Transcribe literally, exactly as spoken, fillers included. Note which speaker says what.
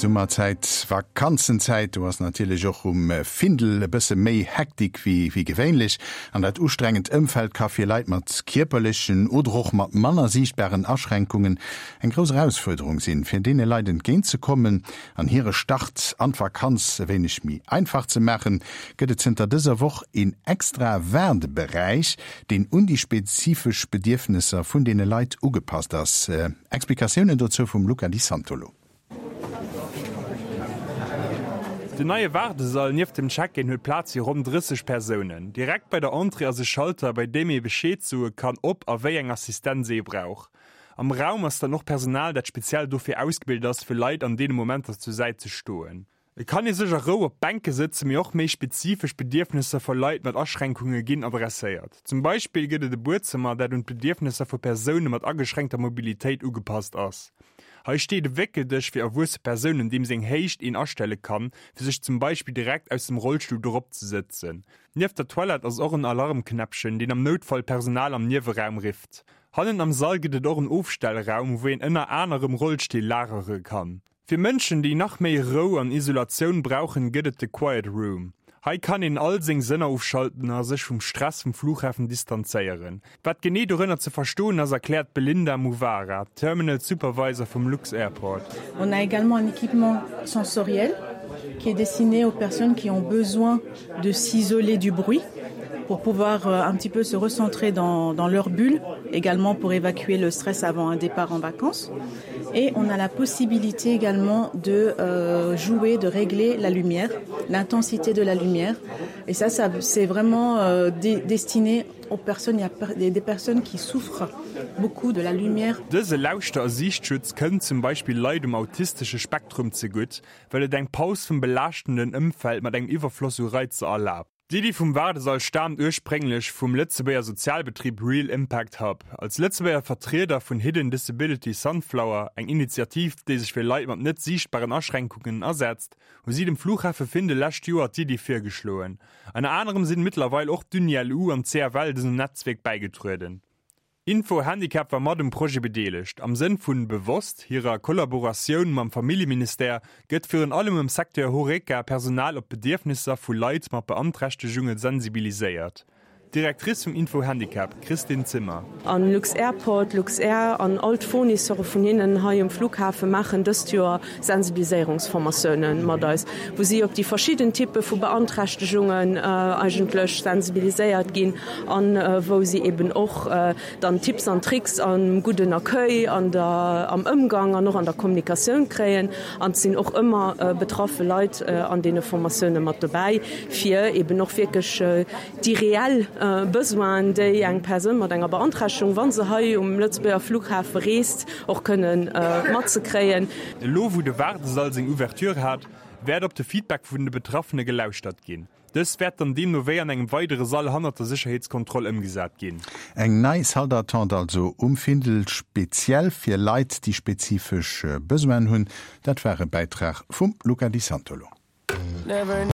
Speaker 1: Summerzäit, Vakanzenzäit, do ass natierlech och um Findel e bësse méi Hektik wéi wéi gewéinlech. An dat ustrengend Ëmfeld ka fir Leit mat kierperlechen oder och mat manner siichtbaren Aschränkungen eng grouss Erausfuerderung sinn. Fir deene Leit entgéintzekommen an hire Start an d'Vakanz e wéineg méi einfach ze maachen, gëtt et zënter dëser Woch een extra Waardeberäich, deen un déi spezifesch Bedierfnesser vun deene Leit ugepasst ass. Explikatiounen dozou vum Luca Di Santolo.
Speaker 2: Den neie Waardesall nieft dem Check-in huet Plaz fir ronn drësseg Persounen. Direkt bei der Entrée ass e Schalter, bei deem ee Bescheed soe kann, ob a wéi eng Assistenz ee brauch. Am Raum ass dann och Personal, dat speziell dofir ausgebilt ass, fir Leit an deene Momenter zur Säit ze stoen. Et kann ee sech a Rou op Bänke sëtzen, mee och méi spezifesch Bedierfnesser vu Leit mat Aschränkunge ginn adresséiert. Zum Beispill gëtt et e Buedzëmmer, dat un d'Bedierfnesser vu Persoune mat ageschränkter Mobilitéit ugepasst ass. Hei steet e Wéckeldësch fir erwuesse Persounen, deem seng Héicht een astelle kann, fir sech zum Beispill direkt aus dem Rollstull dorop ze sëtzen. Nieft der Toilette ass och en Alarmknäppchen, deen am Noutfall d'Personal am Nieweraum rifft. Hannen am Sall gëtt et och en Ofstellraum, wou een ënner anerem Rollstill lagere kann. Fir Mënschen, déi nach méi Rou an Isolatioun brauchen, gëtt et de Quiet Room. Hei kann een all seng Sënner ofschalten a sech vum Stress vum Flughafen distanzéieren. Wat genee dorënner ze verstoen ass, erkläert d'Belinda Muvara, Terminal Supervisor vum lux-Airport.
Speaker 3: On a également un équipement sensoriel qui est destiné aux personnes qui ont besoin de s'isoler du bruit pour pouvoir euh, un petit peu se recentrer dans, dans leur bulle, également pour évacuer le stress avant un départ en vacances. Et on a la possibilité également de euh, jouer, de régler la lumière, l'intensité de la lumière. Et ça, ça c'est vraiment euh, destiné aux personnes, il y a des, des personnes qui souffrent beaucoup de la lumière.
Speaker 2: Dëse Lauschter a Siichtschutz kënnt zum Beispill Leit um autistesche Spektrum zegutt, well et eng Paus vum belaaschtenden Ëmfeld mat engem Iwwerfloss u Reizer erlaabt. D'Iddi vum Waardesall staamt ursprénglech vum Lëtzebuerger Sozialbetrib Real Impact Hub. Als Lëtzebuerger Vertrieder vun Hidden Disability Sunflower, eng Initiativ, déi sech fir Leit mat net siichtbaren Aschränkungen asetzt, hu si dem Flughafe Findel lescht Joer d'Iddi virgeschloen. Ënner anerem sinn mëttlerweil och d'Uni-LU an d'CFL dësem Netzwierk bäigetrueden. Info Handicap war mat um Projet bedeelegt. Am Sënn vun Bewosst, hirer Kollaboratioun mam Familljeministère, gëtt virun allem am Secteur Horeca Personal op d'Bedierfnisser vu Leit mat Beanträchtegunge sensibiliséiert. D'Directrice vum Info Handicap, Christine Zimmer.
Speaker 4: An lux-Airport, Luxair an all d'Fournisseure vun hinnen hei um Flughafe maachen dëst Joer Sensibiliséierungsformatiounen mat eis, wou si op déi verschidden Typpe vu Beanträchtegungen eigentlech sensibiliséiert ginn an wou si eben och dann Tipps an Tricks am gudden Accueil, an der, am Ëmgang an och an der Kommunikatioun kréien. An et sinn och ëmmer betraffe Leit an deene Formatioune mat dobäi, fir eben och wierklech déi reell Besoinen, déi eng Persoun mat enger Beanträchtegung, wa se hei um Lëtzebuerger Flughafe reest, och kënnen matzekréien.
Speaker 2: Elo wou de Waardesall seng Ouverture hat, wäert op de Feedback vun de Betraffene gelauschtert ginn. Dës wäert dann deemno wéi an engem weidere Sall hannert der Sécherheetskontroll ëmgesat ginn.
Speaker 1: Eng nei Salle d'attente also um Findel, speziell fir Leit, déi spezifesch Besoinen hunn. Dat war e Bäitrag vum Luca Di Santolo.